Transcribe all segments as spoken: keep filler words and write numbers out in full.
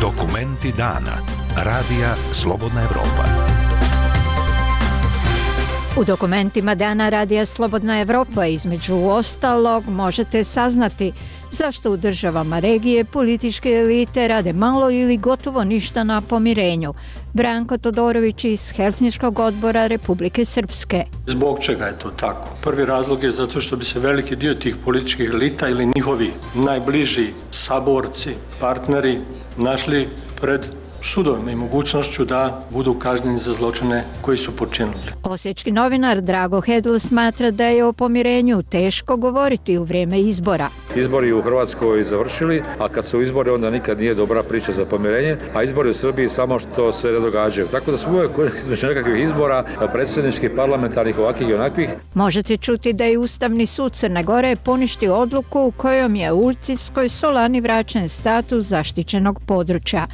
Dokumenti dana. Radija Slobodna Evropa. U dokumentima dana Radija Slobodna Evropa između ostalog možete saznati zašto u državama regije političke elite rade malo ili gotovo ništa na pomirenju. Branko Todorović iz Helsinškog odbora Republike Srpske. Zbog čega je to tako? Prvi razlog je zato što bi se veliki dio tih političkih elita ili njihovi najbliži saborci, partneri našli pred sudovima i mogućnošću da budu kažnjeni za zločine koji su počinili. Osječki novinar Drago Hedl smatra da je o pomirenju teško govoriti u vrijeme izbora. Izbori u Hrvatskoj završili, a kad su izbori onda nikad nije dobra priča za pomirenje, a izbori u Srbiji samo što se ne događaju. Tako da smo uvijek između nekakvih izbora, predsjedničkih, parlamentarnih, ovakvih i onakvih. Možete čuti da je Ustavni sud Crne Gore poništio odluku u kojom je Ulcinskoj Solani vraćen status zaštićenog područja.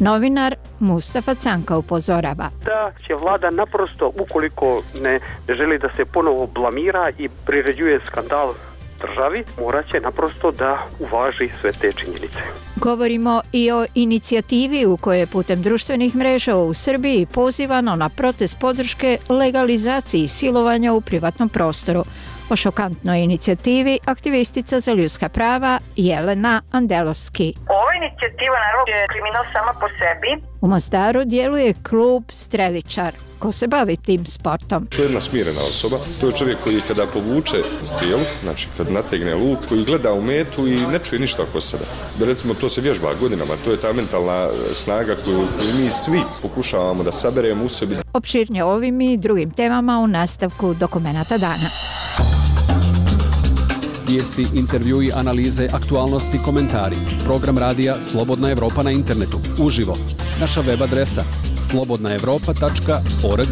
Novinar Mustafa Canka upozorava da će vlada naprosto, ukoliko ne, ne želi da se ponovo blamira i priređuje skandal državi, morat će naprosto da uvaži sve te činjenice. Govorimo i o inicijativi u kojoj je putem društvenih mreža u Srbiji pozivano na protest podrške legalizaciji silovanja u privatnom prostoru. O šokantnoj inicijativi aktivistica za ljudska prava Jelena Andelovski. Ova inicijativa naravno je kriminal sama po sebi. U Mostaru djeluje klub Streličar. Ko se bavi tim sportom? To je jedna smirena osoba. To je čovjek koji kada povuče strijelu, znači kad nategne luk, koji gleda u metu i ne čuje ništa oko sebe. Da recimo to se vježba godinama, to je ta mentalna snaga koju, koju mi svi pokušavamo da saberemo u sebi. Opširnije ovim i drugim temama u nastavku Dokumenata dana. Vijesti, intervjui, analize, aktualnosti, komentari. Program radija Slobodna Evropa na internetu. Uživo. Naša web adresa slobodna evropa tačka org.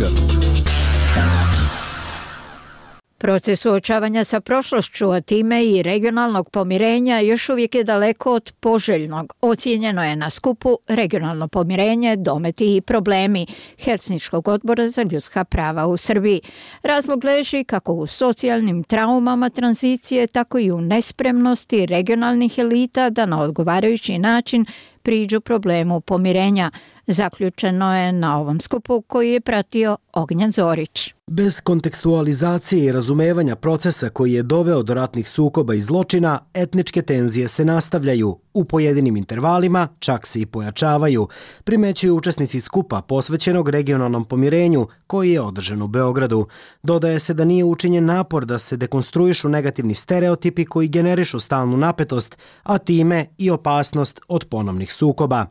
Proces suočavanja sa prošlošću, a time i regionalnog pomirenja još uvijek je daleko od poželjnog. Ocijenjeno je na skupu Regionalno pomirenje, dometi i problemi Helsinškog odbora za ljudska prava u Srbiji. Razlog leži kako u socijalnim traumama tranzicije, tako i u nespremnosti regionalnih elita da na odgovarajući način priđu problemu pomirenja. Zaključeno je na ovom skupu koji je pratio Ognjan Zorić. Bez kontekstualizacije i razumevanja procesa koji je doveo do ratnih sukoba i zločina, etničke tenzije se nastavljaju. U pojedinim intervalima čak se i pojačavaju, primećuju učesnici skupa posvećenog regionalnom pomirenju koji je održan u Beogradu. Dodaje se da nije učinjen napor da se dekonstruišu negativni stereotipi koji generišu stalnu napetost, a time i opasnost od ponovnih sukoba.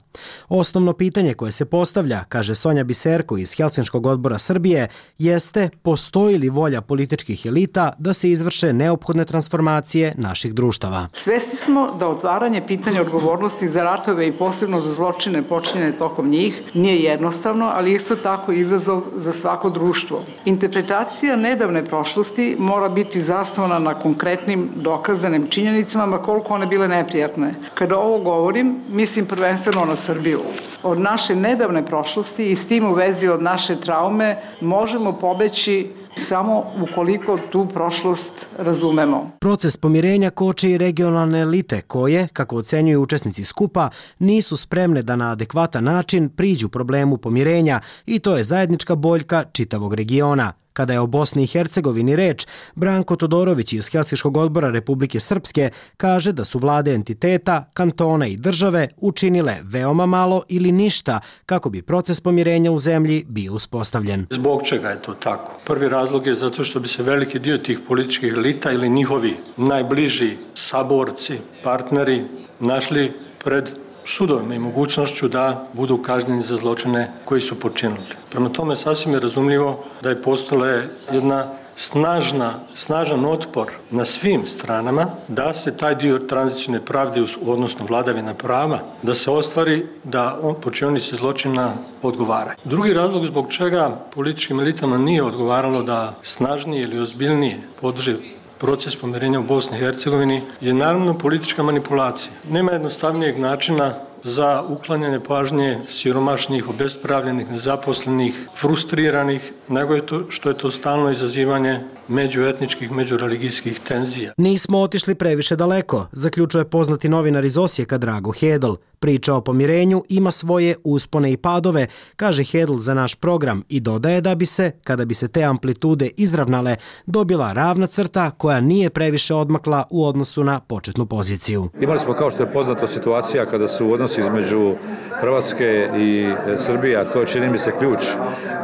Osnovno pitanje koje se postavlja, kaže Sonja Biserko iz Helsinškog odbora Srbije, jeste postoji li volja političkih elita da se izvrše neophodne transformacije naših društava. Svesni smo da otvaranje pitanja odgovornosti za ratove i posebno za zločine počinjene tokom njih nije jednostavno, ali isto tako izazov za svako društvo. Interpretacija nedavne prošlosti mora biti zasnovana na konkretnim dokazanim činjenicama, ma koliko one bile neprijatne. Kada ovo govorim, mislim prvenstveno na Srbiju. Od naše nedavne prošlosti i s tim u vezi od naše traume možemo pobeći samo ukoliko tu prošlost razumemo. Proces pomirenja koče i regionalne elite koje, kako ocenjuju učesnici skupa, nisu spremne da na adekvatan način priđu problemu pomirenja i to je zajednička boljka čitavog regiona. Kada je o Bosni i Hercegovini reč, Branko Todorović iz Helsinškog odbora Republike Srpske kaže da su vlade entiteta, kantona i države učinile veoma malo ili ništa kako bi proces pomirenja u zemlji bio uspostavljen. Zbog čega je to tako? Prvi razlog je zato što bi se veliki dio tih političkih elita ili njihovi najbliži saborci, partneri našli pred sudovima i mogućnošću da budu kažnjeni za zločine koji su počinili. Prema tome sasvim je razumljivo da je postojala jedna snažna, snažan otpor na svim stranama da se taj dio tranzicijne pravde, odnosno vladavina prava, da se ostvari da on počinionici zločina odgovaraju. Drugi razlog zbog čega političkim elitama nije odgovaralo da snažnije ili ozbiljnije podrži proces pomirenja u Bosni i Hercegovini je naravno politička manipulacija. Nema jednostavnijeg načina za uklanjanje pažnje siromašnih, obespravljenih, nezaposlenih, frustriranih, nego je to što je to stalno izazivanje međuetničkih, međureligijskih tenzija. Nismo otišli previše daleko, zaključuje poznati novinar iz Osijeka Drago Hedl. Priča o pomirenju ima svoje uspone i padove, kaže Hedl za naš program i dodaje da bi se, kada bi se te amplitude izravnale, dobila ravna crta koja nije previše odmakla u odnosu na početnu poziciju. Imali smo, kao što je poznato, situacija kada su odnosi između Hrvatske i Srbije, a to je, čini mi se, ključ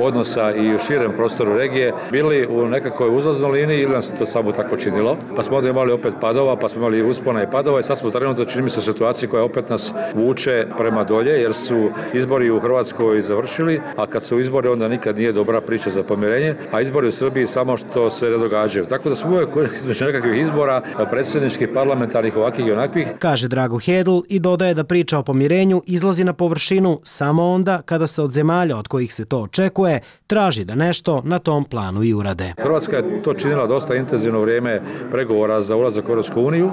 odnosa i u širem prostoru regije, bili u nekakvoj uzlaznoj liniji ili nam se to samo tako činilo. Pa smo onda imali opet padova, pa smo imali uspona i padova i sad smo trenutno, čini mi se, u situaciji koja opet nas vuče prema dolje, jer su izbori u Hrvatskoj završili, a kad su izbori onda nikad nije dobra priča za pomirenje, a izbori u Srbiji samo što se ne događaju. Tako da smo uvijek između nekakvih izbora, predsjedničkih, parlamentarnih, ovakvih i onakvih. Kaže Drago Hedl i dodaje da priča o pomirenju izlazi na površinu samo onda kada se od zemalja od kojih se to očekuje traži da nešto na tom planu i urade. Hrvatska je to činila dosta intenzivno vrijeme pregovora za ulazak u Europsku uniju,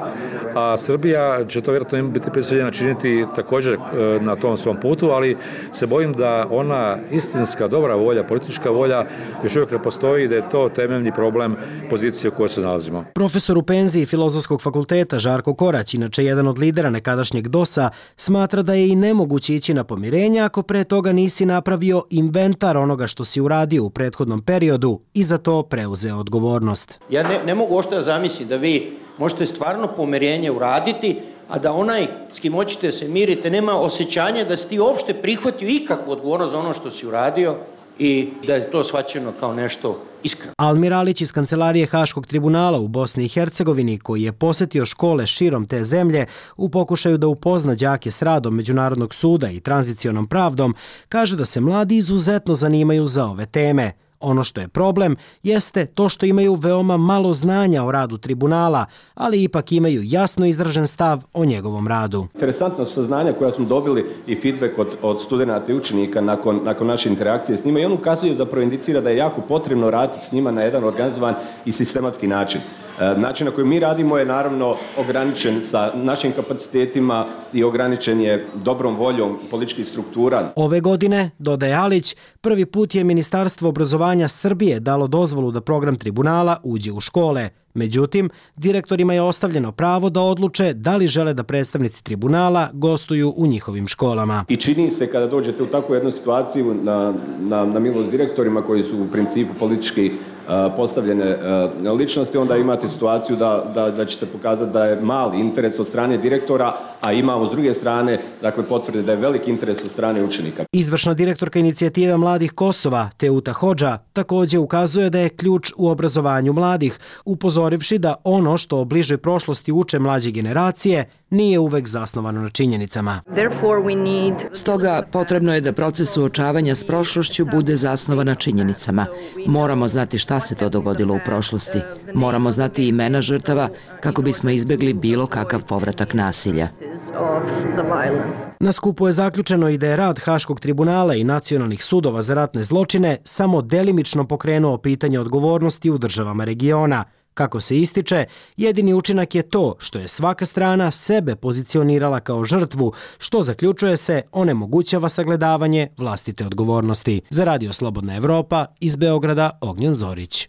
a Srbija će to vjerojatno biti prisiljena činiti također na tom svom putu, ali se bojim da ona istinska dobra volja, politička volja još uvijek ne postoji i da je to temeljni problem pozicije u kojoj se nalazimo. Profesor u penziji Filozofskog fakulteta Žarko Korać, inače jedan od lidera nekadašnjeg dosa, smatra da je i nemoguće ići na pomirenje ako pre toga nisi napravio inventar onoga što si uradio u prethodnom periodu i za to preuzeo odgovornost. Ja ne, ne mogu ošto da zamislim da vi možete stvarno pomirenje uraditi, a da onaj s kim hoćete se mirite nema osjećanja da si ti uopšte prihvatio ikakvu odgovornost za ono što si uradio i da je to shvaćeno kao nešto iskreno. Almir Alić iz Kancelarije Haškog tribunala u Bosni i Hercegovini, koji je posjetio škole širom te zemlje u pokušaju da upozna đake s radom Međunarodnog suda i tranzicionom pravdom, kaže da se mladi izuzetno zanimaju za ove teme. Ono što je problem jeste to što imaju veoma malo znanja o radu tribunala, ali ipak imaju jasno izražen stav o njegovom radu. Interesantna su saznanja koja smo dobili i feedback od, od studenata i učenika nakon, nakon naše interakcije s njima i on ukazuje, zapravo indicira da je jako potrebno raditi s njima na jedan organizovan i sistematski način. Način na koji mi radimo je naravno ograničen sa našim kapacitetima i ograničen je dobrom voljom političkih struktura. Ove godine, dodaje Alić, prvi put je Ministarstvo obrazovanja Srbije dalo dozvolu da program tribunala uđe u škole. Međutim, direktorima je ostavljeno pravo da odluče da li žele da predstavnici tribunala gostuju u njihovim školama. I čini se kada dođete u takvu jednu situaciju na, na, na milost direktorima koji su u principu politički uh, postavljene uh, ličnosti, onda imate situaciju da, da, da će se pokazati da je mali interes od strane direktora, a imamo s druge strane dakle, potvrde da je veliki interes od strane učenika. Izvršna direktorka inicijative Mladih Kosova, Teuta Hodža, također ukazuje da je ključ u obrazovanju mladih, upozorivši da ono što o bližoj prošlosti uče mlađe generacije nije uvek zasnovano na činjenicama. Stoga potrebno je da proces suočavanja s prošlošću bude zasnovan na činjenicama. Moramo znati šta se to dogodilo u prošlosti. Moramo znati imena žrtava kako bismo izbjegli bilo kakav povratak nasilja. Na skupu je zaključeno i da je rad Haškog tribunala i nacionalnih sudova za ratne zločine samo delimično pokrenuo pitanje odgovornosti u državama regiona. Kako se ističe, jedini učinak je to što je svaka strana sebe pozicionirala kao žrtvu, što zaključuje se onemogućava sagledavanje vlastite odgovornosti. Za Radio Slobodna Evropa, iz Beograda, Ognjen Zorić.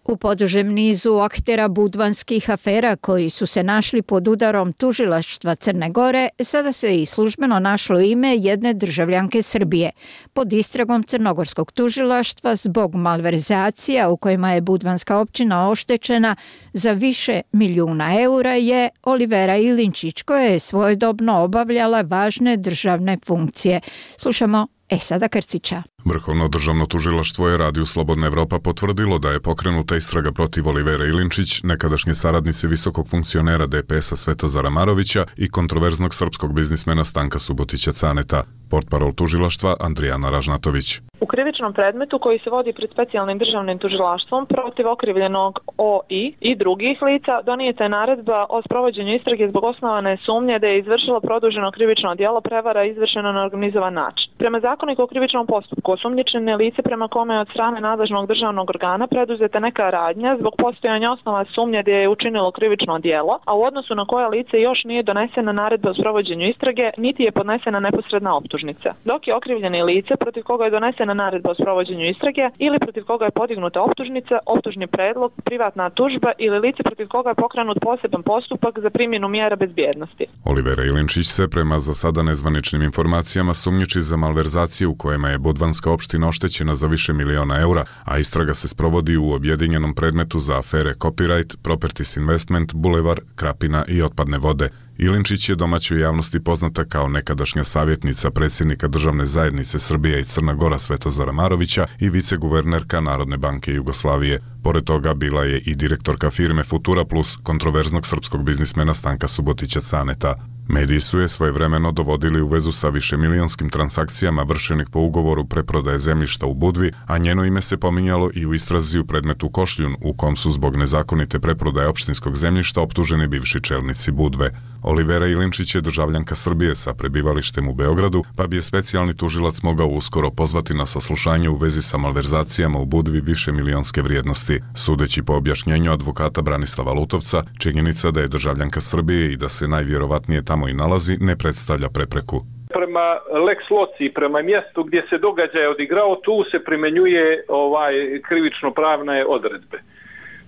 U podužem nizu aktera budvanskih afera koji su se našli pod udarom tužilaštva Crne Gore, sada se i službeno našlo ime jedne državljanke Srbije. Pod istragom crnogorskog tužilaštva zbog malverzacija u kojima je budvanska općina oštećena za više milijuna eura je Olivera Ilinčić, koja je svojedobno obavljala važne državne funkcije. Slušamo Esada Krcića. Vrhovno državno tužilaštvo je Radiju Slobodna Evropa potvrdilo da je pokrenuta istraga protiv Olivere Ilinčić, nekadašnje saradnice visokog funkcionera D P S-a Svetozara Marovića i kontroverznog srpskog biznismena Stanka Subotića Caneta. Portparol tužilaštva Andrijana Ražnatović. U krivičnom predmetu koji se vodi pred specijalnim državnim tužilaštvom protiv okrivljenog O I i drugih lica donijeta je naredba o sprovođenju istrage zbog osnovane sumnje da je izvršilo produženo krivično djelo prevara izvršeno na organizovan način. Prema zakoniku o krivičnom postupku osumnjičene lice prema kome je od strane nadležnog državnog organa preduzeta neka radnja zbog postojanja osnova sumnje da je učinilo krivično djelo, a u odnosu na koje lice još nije donesena naredba o sprovođenju istrage, niti je podnesena neposredna optužnica. Dok je okrivljeni lice protiv koga je donesena naredba o sprovođenju istrage ili protiv koga je podignuta optužnica, optužni predlog, privatna tužba ili lice protiv koga je pokrenut poseban postupak za primjenu mjera bezbjednosti. Olivera Ilinčić se prema za sada nezvaničnim informacijama sumnjiči za malverzacije u kojima je Budvanska opština oštećena za više miliona eura, a istraga se sprovodi u objedinjenom predmetu za afere Copyright, Properties Investment, Bulevar, Krapina i otpadne vode. Ilinčić je domaćoj javnosti poznata kao nekadašnja savjetnica predsjednika Državne zajednice Srbija i Crna Gora Svetozara Marovića i viceguvernerka Narodne banke Jugoslavije. Pored toga bila je i direktorka firme Futura Plus, kontroverznog srpskog biznismena Stanka Subotića Caneta. Mediji su je svojevremeno dovodili u vezu sa višemilijonskim transakcijama vršenih po ugovoru preprodaje zemljišta u Budvi, a njeno ime se pominjalo i u istrazi u predmetu Košljun, u kom su zbog nezakonite preprodaje opštinskog zemljišta optuženi bivši čelnici Budve. Olivera Ilinčić je državljanka Srbije sa prebivalištem u Beogradu, pa bi je specijalni tužilac mogao uskoro pozvati na saslušanje u vezi sa malverzacijama u Budvi višemilionske vrijednosti. Sudeći po objašnjenju advokata Branislava Lutovca, činjenica da je državljanka Srbije i da se najvjerovatnije tamo i nalazi ne predstavlja prepreku. Prema Lex Loci, prema mjestu gdje se događaj odigrao, tu se primjenjuje ovaj krivično-pravne odredbe.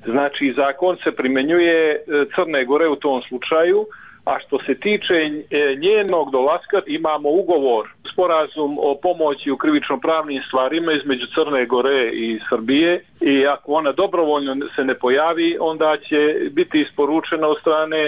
Znači, zakon se primjenjuje Crne Gore u tom slučaju, a što se tiče njenog dolaska, imamo ugovor, sporazum o pomoći u krivično-pravnim stvarima između Crne Gore i Srbije i ako ona dobrovoljno se ne pojavi, onda će biti isporučena od strane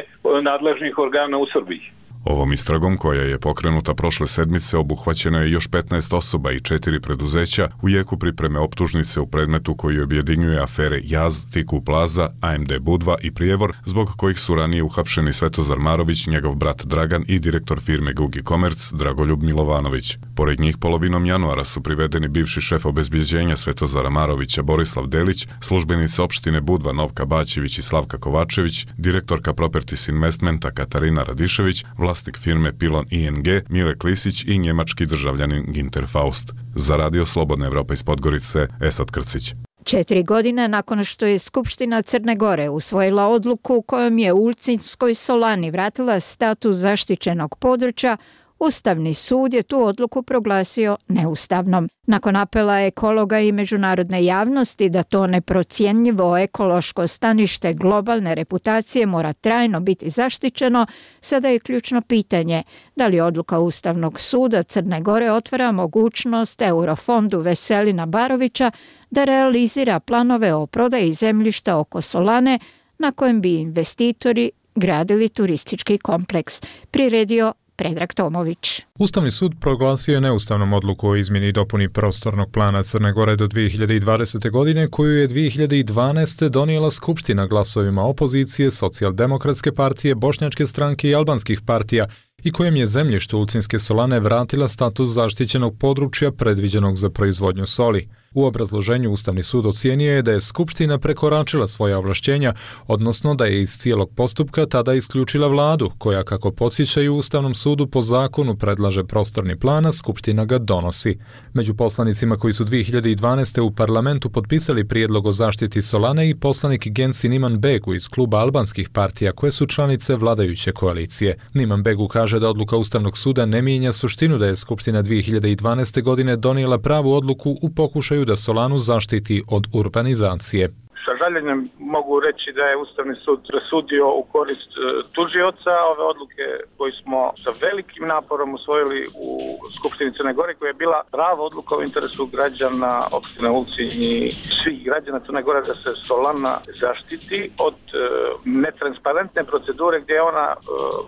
nadležnih organa u Srbiji. Ovom istragom, koja je pokrenuta prošle sedmice, obuhvaćeno je još petnaest osoba i četiri preduzeća u jeku pripreme optužnice u predmetu koji objedinjuje afere Jaz, Tiku Plaza, A M D Budva i Prijevor, zbog kojih su ranije uhapšeni Svetozar Marović, njegov brat Dragan i direktor firme Gugi Komerc Dragoljub Milovanović. Pored njih polovinom januara su privedeni bivši šef obezbjeđenja Svetozara Marovića Borislav Delić, službenica opštine Budva Novka Baćević i Slavka Kovačević, direktorka Properties Investmenta Katarina Radišević, vlasnik firme Pilon I N G Mile Klisić i njemački državljanin Ginter Faust. Za Radio Slobodna Evropa iz Podgorice, Esad Krcić. Četiri godine nakon što je Skupština Crne Gore usvojila odluku kojom je Ulcinskoj solani vratila status zaštićenog područja, Ustavni sud je tu odluku proglasio neustavnom. Nakon apela ekologa i međunarodne javnosti da to neprocjenjivo ekološko stanište globalne reputacije mora trajno biti zaštićeno, sada je ključno pitanje da li odluka Ustavnog suda Crne Gore otvara mogućnost Eurofondu Veselina Barovića da realizira planove o prodaji zemljišta oko Solane na kojem bi investitori gradili turistički kompleks. Priredio Predrag Tomović. Ustavni sud proglasio je neustavnom odluku o izmjeni i dopuni prostornog plana Crne Gore do dvije hiljade dvadesete. godine, koju je dvije hiljade dvanaeste. donijela Skupština glasovima opozicije, Socijaldemokratske partije, Bošnjačke stranke i albanskih partija i kojem je zemljište Ulcinske solane vratila status zaštićenog područja predviđenog za proizvodnju soli. U obrazloženju Ustavni sud ocijenio je da je Skupština prekoračila svoja ovlašćenja, odnosno da je iz cijelog postupka tada isključila vladu, koja, kako podsjećaju Ustavnom sudu, po zakonu predlaže prostorni plan, a Skupština ga donosi. Među poslanicima koji su dvije hiljade dvanaeste. u parlamentu potpisali prijedlog o zaštiti solane i poslanik Gensin Iman Begu iz kluba albanskih partija koje su članice vladajuće koalicije. Iman Begu kaže da odluka Ustavnog suda ne mijenja suštinu da je Skupština dvije hiljade dvanaeste. godine donijela pravu odluku u pokušaju da Solanu zaštiti od urbanizacije. Sa žaljenjem mogu reći da je Ustavni sud presudio u korist tužioca ove odluke koje smo sa velikim naporom usvojili u Skupštini Crne Gore, koja je bila prava odluka u interesu građana opštine Ulcinj i svih građana Crne Gore da se Solana zaštiti od uh, netransparentne procedure gdje je ona uh,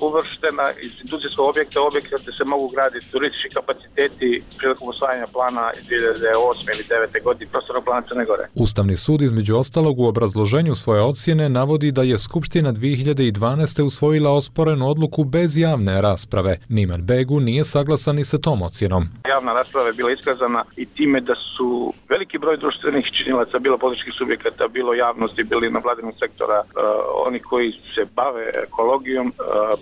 uvrštena iz industrijskog objekta, objekta gdje se mogu graditi turistički kapaciteti prilikom usvajanja plana iz dvije hiljade osme ili devete. godine prostornog plana Crne Gore. Ustavni sud između ostalog u obrazloženju svoje ocjene navodi da je Skupština dvije hiljade dvanaeste. usvojila osporenu odluku bez javne rasprave. Niman Begu nije saglasan ni sa tom ocjenom. Javna rasprava je bila iskazana i time da su veliki broj društvenih činilaca, bilo političkih subjekata, bilo javnosti, bili na vladinog sektora, uh, oni koji se bave ekologijom, uh,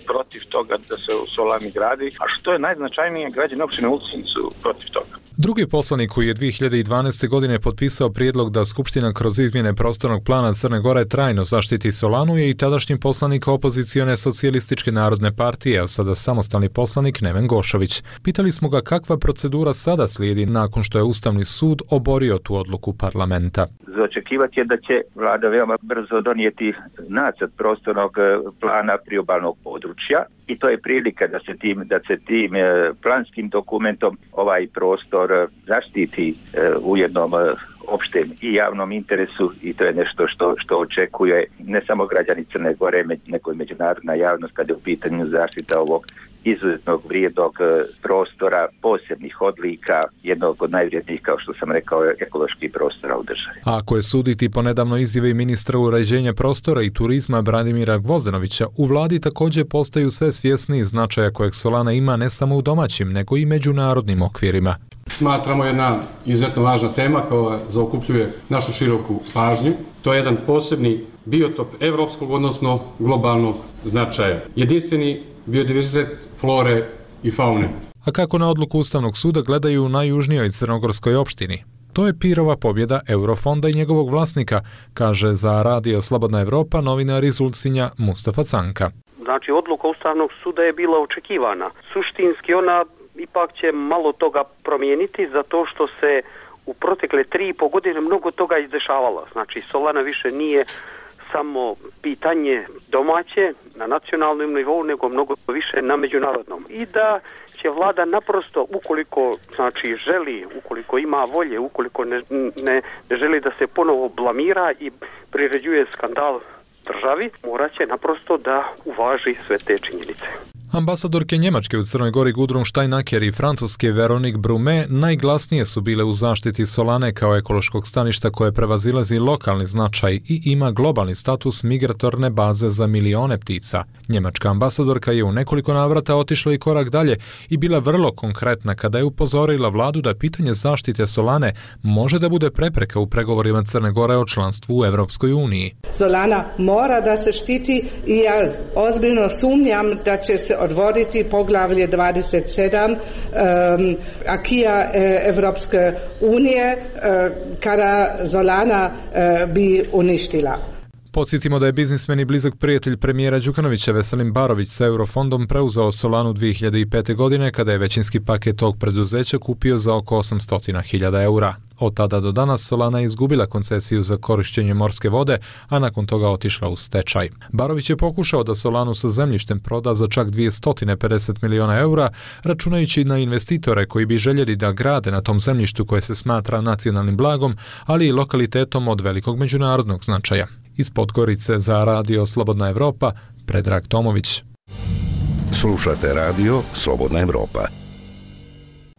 protiv toga da se u Solani gradi, a što je najznačajnije, građani opštine Ulcinj su protiv toga. Drugi poslanik koji je dvije hiljade dvanaeste. godine potpisao prijedlog da Skupština kroz izmjene prostornog plana Crne Gore trajno zaštiti Solanu je i tadašnji poslanik opozicione socijalističke narodne partije, a sada samostalni poslanik Neven Gošović. Pitali smo ga kakva procedura sada slijedi nakon što je Ustavni sud oborio tu odluku parlamenta. Za očekivati je da će vlada veoma brzo donijeti nacrt prostornog plana priobalnog područja i to je prilika da se tim, da se tim planskim dokumentom ovaj prostor zaštiti u jednom opštem i javnom interesu i to je nešto što, što očekuje ne samo građani Crne Gore, nego i međunarodna javnost kada je u pitanju zaštita ovog izuzetnog vrijednog prostora, posebnih odlika, jednog od najvrijednijih, kao što sam rekao, ekoloških prostora u državi. A ako je suditi po nedavno izjavi ministra uređenja prostora i turizma Branimira Gvozdenovića, u vladi također postaju sve svjesniji značaja kojeg Solana ima ne samo u domaćim, nego i međunarodnim okvirima. Smatramo jedna izuzetno važna tema koja zaokupljuje našu široku pažnju. To je jedan posebni biotop evropskog, odnosno globalnog značaja. Jedinstveni biodiverzitet flore i faune. A kako na odluku Ustavnog suda gledaju u najjužnijoj crnogorskoj opštini? To je pirova pobjeda Eurofonda i njegovog vlasnika, kaže za Radio Slobodna Evropa novinar iz Ulcinja Mustafa Canka. Znači, odluka Ustavnog suda je bila očekivana. Suštinski ona ipak će malo toga promijeniti zato što se u protekle tri i po godine mnogo toga izdešavalo. Znači, Solana više nije samo pitanje domaće na nacionalnom nivou, nego mnogo više na međunarodnom. I da će vlada naprosto, ukoliko znači želi, ukoliko ima volje, ukoliko ne, ne, ne želi da se ponovo blamira i priređuje skandal državi, morat će naprosto da uvaži sve te činjenice. Ambasadorke Njemačke u Crnoj Gori Gudrun Steinacker i Francuske Veronique Brume najglasnije su bile u zaštiti Solane kao ekološkog staništa koje prevazilazi lokalni značaj i ima globalni status migratorne baze za milione ptica. Njemačka ambasadorka je u nekoliko navrata otišla i korak dalje i bila vrlo konkretna kada je upozorila vladu da pitanje zaštite Solane može da bude prepreka u pregovorima Crne Gore o članstvu u Evropskoj uniji. Solana mora da se štiti i ja ozbiljno sumnjam da će se odvoditi poglavlje dvadeset sedam um, akija e, Evropske unije e, kada Solana e, bi uništila. Podsjetimo da je biznismen i blizak prijatelj premijera Đukanovića Veselin Barović sa Eurofondom preuzeo Solanu dvije hiljade pete. godine kada je većinski paket tog preduzeća kupio za oko osamsto hiljada eura. Od tada do danas Solana je izgubila koncesiju za korišćenje morske vode, a nakon toga otišla u stečaj. Barović je pokušao da Solanu sa zemljištem proda za čak dvjesto pedeset miliona eura, računajući na investitore koji bi željeli da grade na tom zemljištu koje se smatra nacionalnim blagom, ali i lokalitetom od velikog međunarodnog značaja. Iz Podgorice za Radio Slobodna Evropa, Predrag Tomović. Slušate Radio Slobodna Evropa.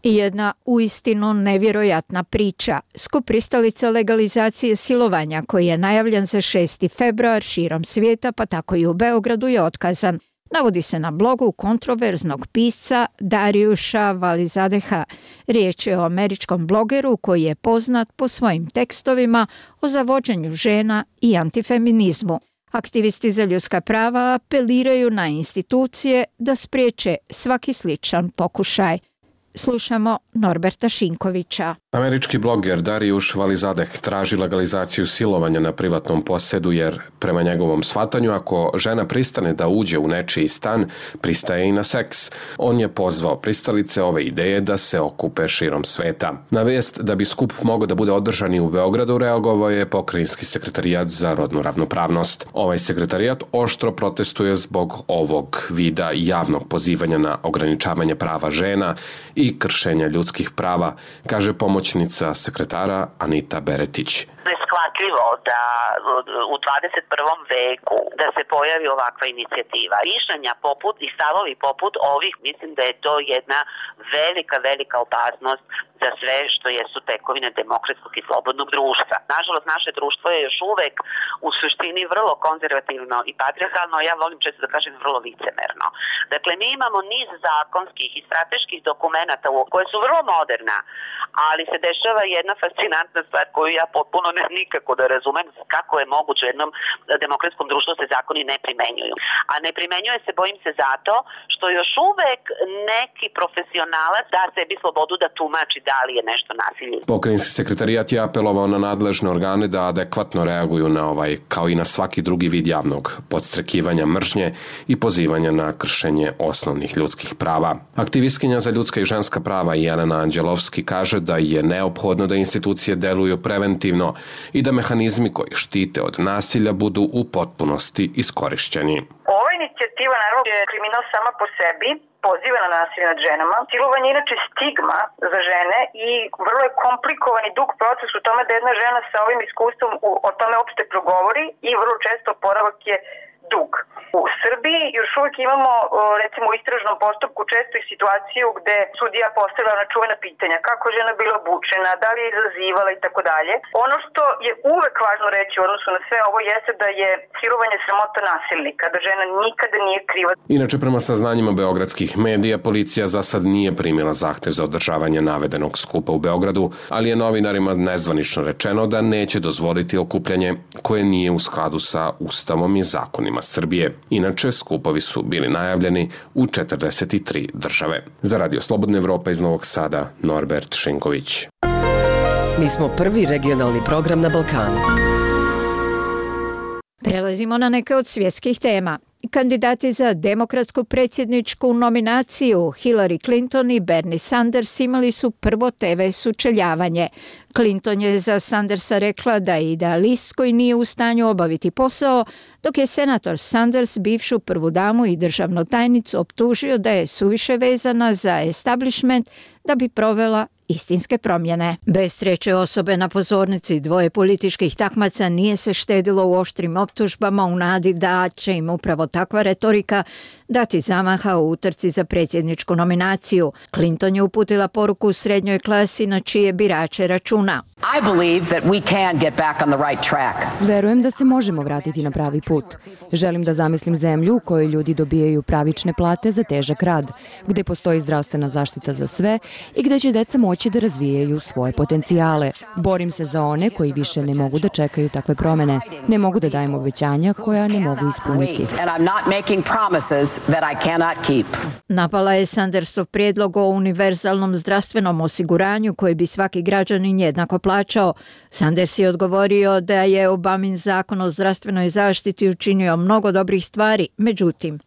Jedna uistinu nevjerojatna priča. Skup pristalica legalizacije silovanja koji je najavljen za šesti februar širom svijeta, pa tako i u Beogradu, je otkazan. Navodi se na blogu kontroverznog pisca Darijuša Valizadeha. Riječ je o američkom blogeru koji je poznat po svojim tekstovima o zavođenju žena i antifeminizmu. Aktivisti za ljudska prava apeliraju na institucije da spriječe svaki sličan pokušaj. Slušamo Norberta Šinkovića. Američki bloger Darijuš Valizadeh traži legalizaciju silovanja na privatnom posedu jer, prema njegovom shvatanju, ako žena pristane da uđe u nečiji stan, pristaje i na seks. On je pozvao pristalice ove ideje da se okupe širom sveta. Na vijest da bi skup mogao da bude održan i u Beogradu reagovao je Pokrajinski sekretarijat za rodnu ravnopravnost. Ovaj sekretarijat oštro protestuje zbog ovog vida javnog pozivanja na ograničavanje prava žena i kršenja ljudskih prava, kaže pomoćnica sekretara Anita Beretić. Neshvatljivo da u dvadeset prvom veku da se pojavi ovakva inicijativa. Mišljenja poput i stavovi poput ovih, mislim da je to jedna velika, velika opasnost za sve što jesu tekovine demokratskog i slobodnog društva. Nažalost, naše društvo je još uvek u suštini vrlo konzervativno i patrijarhalno, ja volim često da kažem vrlo licemerno. Dakle, mi imamo niz zakonskih i strateških dokumenata koje su vrlo moderna, ali se dešava jedna fascinantna stvar koju ja potpuno ne nikako da razumem kako je moguće u jednom demokratskom društvu se zakoni ne primenjuju. A ne primenjuje se, bojim se, zato što još uvek neki profesionalac da sebi slobodu da tumači da li je nešto nasilje. Pokrajinski sekretarijat je apelovao na nadležne organe da adekvatno reaguju na ovaj, kao i na svaki drugi vid javnog podstrekivanja mržnje i pozivanja na kršenje osnovnih ljudskih prava. Aktivistkinja za ljudska i ženska prava Jelena Anđelovski kaže da je neophodno da institucije deluju preventivno i da mehanizmi koji štite od nasilja budu u potpunosti iskorišćeni. Ova inicijativa naravno je kriminal sama po sebi, poziva na nasilje nad ženama. Silovanje je inače stigma za žene i vrlo je komplikovan i dug proces u tome da jedna žena sa ovim iskustvom o tome uopšte progovori i vrlo često oporavak je dug. U Srbiji još uvijek imamo, recimo u istražnom postupku, često i situaciju gde sudija postavlja ona čuvena pitanja kako je žena bila obučena, da li je izazivala i tako dalje. Ono što je uvek važno reći u odnosu na sve ovo jeste da je silovanje sramota nasilnika, da žena nikada nije kriva. Inače, prema saznanjima beogradskih medija, policija za sad nije primila zahtev za održavanje navedenog skupa u Beogradu, ali je novinarima nezvanično rečeno da neće dozvoliti okupljanje koje nije u skladu sa Ustavom i zakonima Srbije. Inače, skupovi su bili najavljeni u četrdeset tri države. Za Radio Slobodna Evropa iz Novog Sada, Norbert Šinković. Mi smo prvi regionalni program na Balkanu. Prelazimo na neke od svjetskih tema. Kandidati za demokratsku predsjedničku nominaciju Hillary Clinton i Bernie Sanders imali su prvo te ve sučeljavanje. Clinton je za Sandersa rekla da je idealist koji nije u stanju obaviti posao, dok je senator Sanders bivšu prvu damu i državnu tajnicu optužio da je suviše vezana za establishment da bi provela istinske promjene. Bez treće osobe na pozornici dvoje političkih takmaca nije se štedilo u oštrim optužbama u nadi da će im upravo takva retorika dati zamaha u utrci za predsjedničku nominaciju. Clinton je uputila poruku u srednjoj klasi na čije birače računa. I believe that we can get back on the right track. Verujem da se možemo vratiti na pravi put. Želim da zamislim zemlju u kojoj ljudi dobijaju pravične plate za težak rad, gde postoji zdravstvena zaštita za sve i gde će deca moći da razvijaju svoje potencijale. Borim se za one koji više ne mogu da čekaju takve promene. Ne mogu da dajem obećanja koja ne mogu ispuniti. And I'm not making promises that I cannot keep. Napala je Sandersov prijedlog o univerzalnom zdravstvenom osiguranju koji bi svaki građanin jednako plaćao. Sanders je odgovorio da je Obamin zakon o zdravstvenoj zaštiti učinio mnogo dobrih stvari, međutim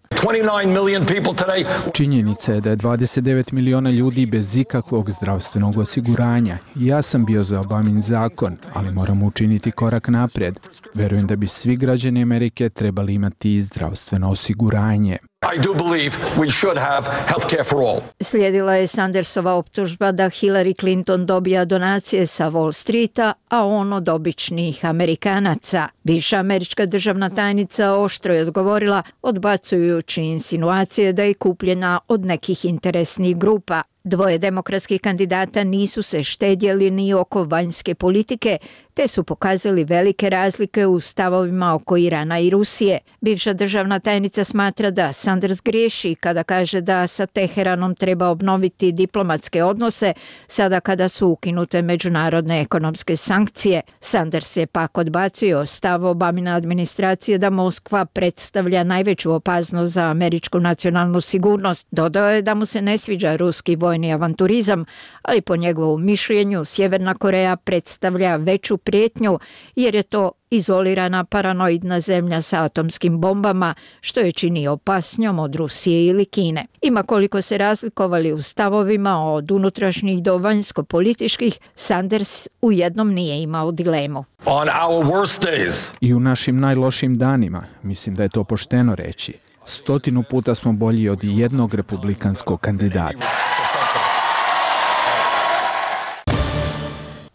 činjenica je da je dvadeset devet miliona ljudi bez ikakvog zdravstvenog osiguranja. Ja sam bio za Obamin zakon, ali moramo učiniti korak naprijed. Verujem da bi svi građani Amerike trebali imati zdravstveno osiguranje. I do believe we should have health care for all. Slijedila je Sandersova optužba da Hillary Clinton dobija donacije sa Wall Streeta, a on od običnih Amerikanaca. Bivša američka državna tajnica oštro je odgovorila, odbacujući insinuacije da je kupljena od nekih interesnih grupa. Dvoje demokratskih kandidata nisu se štedjeli ni oko vanjske politike, te su pokazali velike razlike u stavovima oko Irana i Rusije. Bivša državna tajnica smatra da Sanders griješi kada kaže da sa Teheranom treba obnoviti diplomatske odnose sada kada su ukinute međunarodne ekonomske sankcije. Sanders je pak odbacio stav Obamine administracije da Moskva predstavlja najveću opasnost za američku nacionalnu sigurnost. Dodao je da mu se ne sviđa ruski vojni avanturizam, ali po njegovom mišljenju Sjeverna Koreja predstavlja veću prijetnju jer je to izolirana paranoidna zemlja sa atomskim bombama, što je čini opasnjom od Rusije ili Kine. Ima koliko se razlikovali u stavovima od unutrašnjih do vanjsko-političkih, Sanders u jednom nije imao dilemu. On our worst days. I u našim najlošim danima, mislim da je to pošteno reći. Stotinu puta smo bolji od jednog republikanskog kandidata.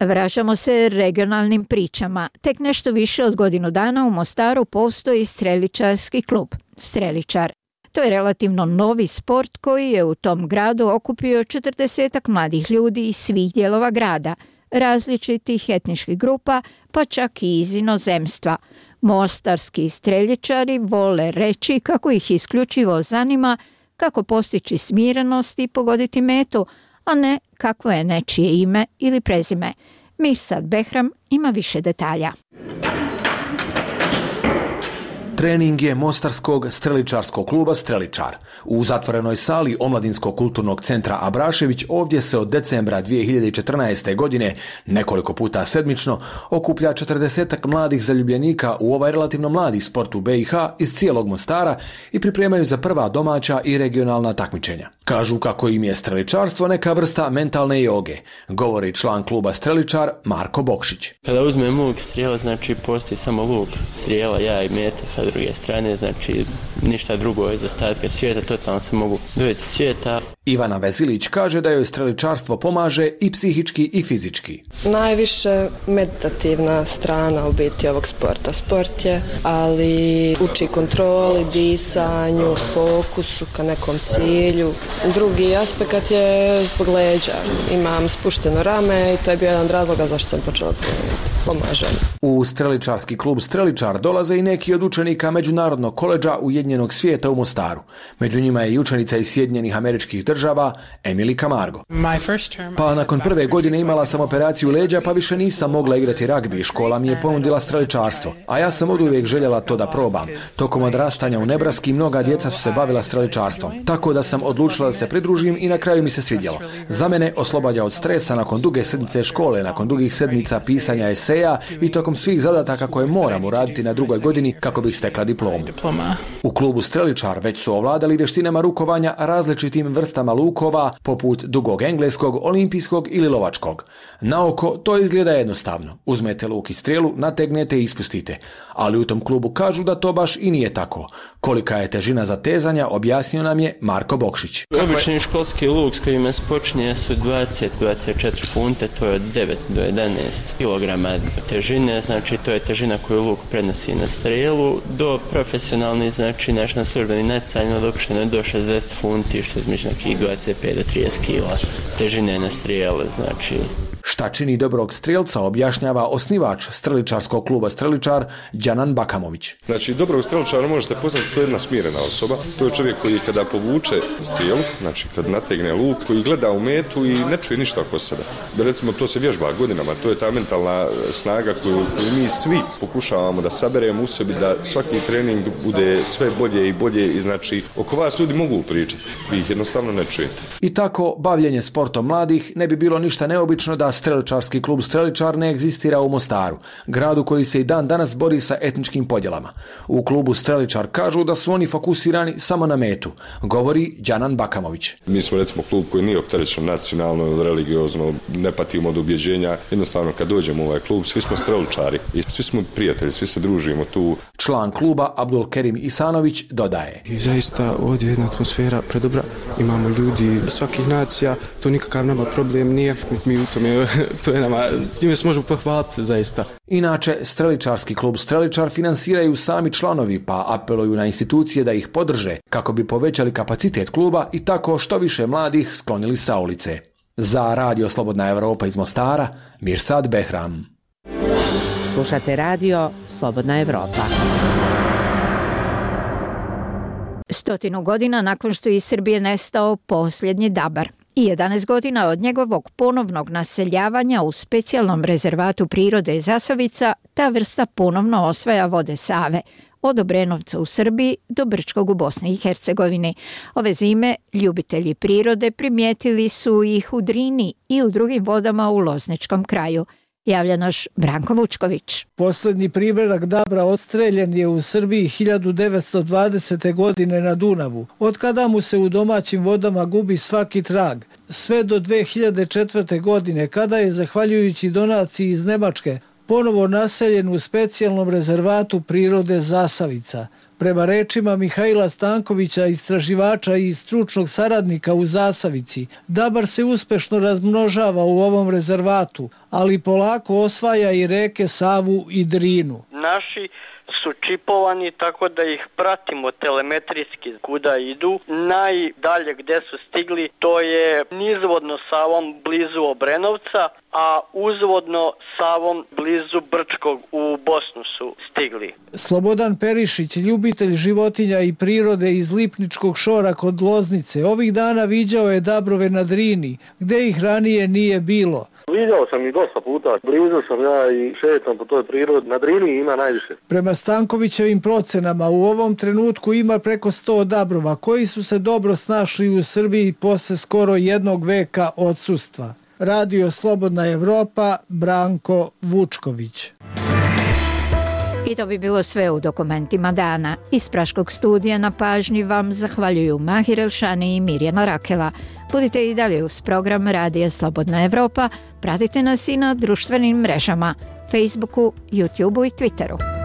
Vraćamo se regionalnim pričama. Tek nešto više od godinu dana u Mostaru postoji streličarski klub Streličar. To je relativno novi sport koji je u tom gradu okupio četrdesetak mladih ljudi iz svih dijelova grada, različitih etničkih grupa, pa čak i iz inozemstva. Mostarski streljičari vole reći kako ih isključivo zanima kako postići smirenost i pogoditi metu, a ne kakvo je nečije ime ili prezime. Mirsad Behram ima više detalja. Trening je mostarskog streličarskog kluba Streličar. U zatvorenoj sali Omladinskog kulturnog centra Abrašević ovdje se od decembra dvije hiljade četrnaeste. godine nekoliko puta sedmično okuplja četrdesetak mladih zaljubljenika u ovaj relativno mladi sport u B i H iz cijelog Mostara i pripremaju za prva domaća i regionalna takmičenja. Kažu kako im je streličarstvo neka vrsta mentalne joge, govori član kluba Streličar Marko Bokšić. Kada uzmem luk strijela, znači postoji samo luk strijela, ja i meta sa druge strane, znači ništa drugo iz ostatka svijeta, totalno se mogu dovesti svijeta. Ivana Vezilić kaže da joj streličarstvo pomaže i psihički i fizički. Najviše meditativna strana u biti ovog sporta. Sport je, ali uči kontroli, disanju, fokusu ka nekom cilju. Drugi aspekt je zbog leđa. Imam spušteno rame i to je bio jedan od razloga zašto sam počela trenirati. Pomaže. U streličarski klub Streličar dolaze i neki od učenika Međunarodnog koledža Ujedinjenog svijeta u Mostaru. Među njima je i učenica iz Sjedinjenih Američkih država Emily Camargo. Pa nakon prve godine imala sam operaciju leđa, pa više nisam mogla igrati ragbi. Škola mi je ponudila streličarstvo, a ja sam oduvijek željela to da probam. Tokom odrastanja u Nebraski mnoga djeca su se bavila streličarstvom, tako da sam odlučila da se pridružim i na kraju mi se svidjelo. Za mene oslobađa od stresa nakon duge sedmice škole, nakon dugih sedmica pisanja eseja i tokom svih zadataka koje moram uraditi na drugoj godini kako bih stekla diplomu. U klubu Streličar već su ovladali vještinama rukovanja različitim vrstama lukova, poput dugog engleskog, olimpijskog ili lovačkog. Na oko to izgleda jednostavno. Uzmete luk i strijelu, nategnete i ispustite. Ali u tom klubu kažu da to baš i nije tako. Kolika je težina zatezanja, objasnio nam je Marko Bokšić. Obični školski luk s kojima se počinje su dvadeset do dvadeset četiri funte, to je od devet do jedanaest kilograma težine, znači to je težina koju luk prenosi na strijelu. Do profesionalni, znači naš na službeni natjecanjima dopušteno je do šezdeset funti, što je između nekih dvadeset pet do trideset kila težine na strijele, znači. Šta čini dobrog strijelca objašnjava osnivač streličarskog kluba Streličar Đanan Bakamović. Znači, dobrog streličara možete poznati, to je jedna smirena osoba. To je čovjek koji kada povuče strijelu, znači kad nategne luk, koji gleda u metu i ne čuje ništa oko sebe. Da recimo to se vježba godinama, to je ta mentalna snaga koju, koju mi svi pokušavamo da saberemo u sebi, da svaki trening bude sve bolje i bolje i znači oko vas ljudi mogu pričati, vi ih jednostavno ne čujete. I tako bavljenje sportom mladih ne bi bilo ništa neobično da streličarski klub Streličar ne egzistira u Mostaru, gradu koji se i dan danas bori sa etničkim podjelama. U klubu Streličar kažu da su oni fokusirani samo na metu, govori Đanan Bakamović. Mi smo recimo klub koji nije opterećen nacionalno, religiozno, ne patimo od ubjeđenja. Jednostavno kad dođemo u ovaj klub, svi smo streličari i svi smo prijatelji, svi se družimo tu. Član kluba Abdul Kerim Isanović dodaje. I zaista ovdje je jedna atmosfera predobra, imamo ljudi svakih nacija, to nikakav nama problem nije, mi u tome, to je nama, time se možemo pohvaliti zaista. Inače, streličarski klub Streličar finansiraju sami članovi, pa apeluju na institucije da ih podrže kako bi povećali kapacitet kluba i tako što više mladih sklonili sa ulice. Za Radio Slobodna Evropa iz Mostara, Mirsad Behram. Slušate Radio Slobodna Evropa. Stotinu godina nakon što iz Srbije nestao posljednji dabar i jedanaest godina od njegovog ponovnog naseljavanja u specijalnom rezervatu prirode Zasavica, ta vrsta ponovno osvaja vode Save, od Obrenovca u Srbiji do Brčkog u Bosni i Hercegovini. Ove zime ljubitelji prirode primijetili su ih u Drini i u drugim vodama u Lozničkom kraju. Javlja naš Branko Vučković. Posljednji primjerak dabra odstreljen je u Srbiji hiljadu devetsto dvadesete. godine na Dunavu, od kada mu se u domaćim vodama gubi svaki trag, sve do dve hiljade četvrte. godine, kada je, zahvaljujući donaciji iz Nemačke, ponovo naseljen u specijalnom rezervatu prirode Zasavica. Prema rečima Mihajla Stankovića, istraživača i stručnog saradnika u Zasavici, dabar se uspešno razmnožava u ovom rezervatu, ali polako osvaja i reke Savu i Drinu. Naši su čipovani tako da ih pratimo telemetrijski kuda idu. Najdalje gde su stigli to je nizvodno Savom blizu Obrenovca, a uzvodno Savom blizu Brčkog u Bosnu su stigli. Slobodan Perišić, ljubitelj životinja i prirode iz Lipničkog šora kod Loznice, ovih dana viđao je dabrove na Drini, gde ih ranije nije bilo. Viđao sam ih dosta puta, blizu sam ja i šetam po toj prirodi, na Drini ima najviše. Prema Stankovićevim procenama u ovom trenutku ima preko sto dabrova koji su se dobro snašli u Srbiji posle skoro jednog veka odsustva. Radio Slobodna Evropa, Branko Vučković. I to bi bilo sve u dokumentima dana. Iz Praškog studija na pažnji vam zahvaljuju Mahir Elšani i Mirjana Rakela. Budite i dalje uz program Radija Slobodna Evropa. Pratite nas i na društvenim mrežama, Facebooku, YouTubeu i Twitteru.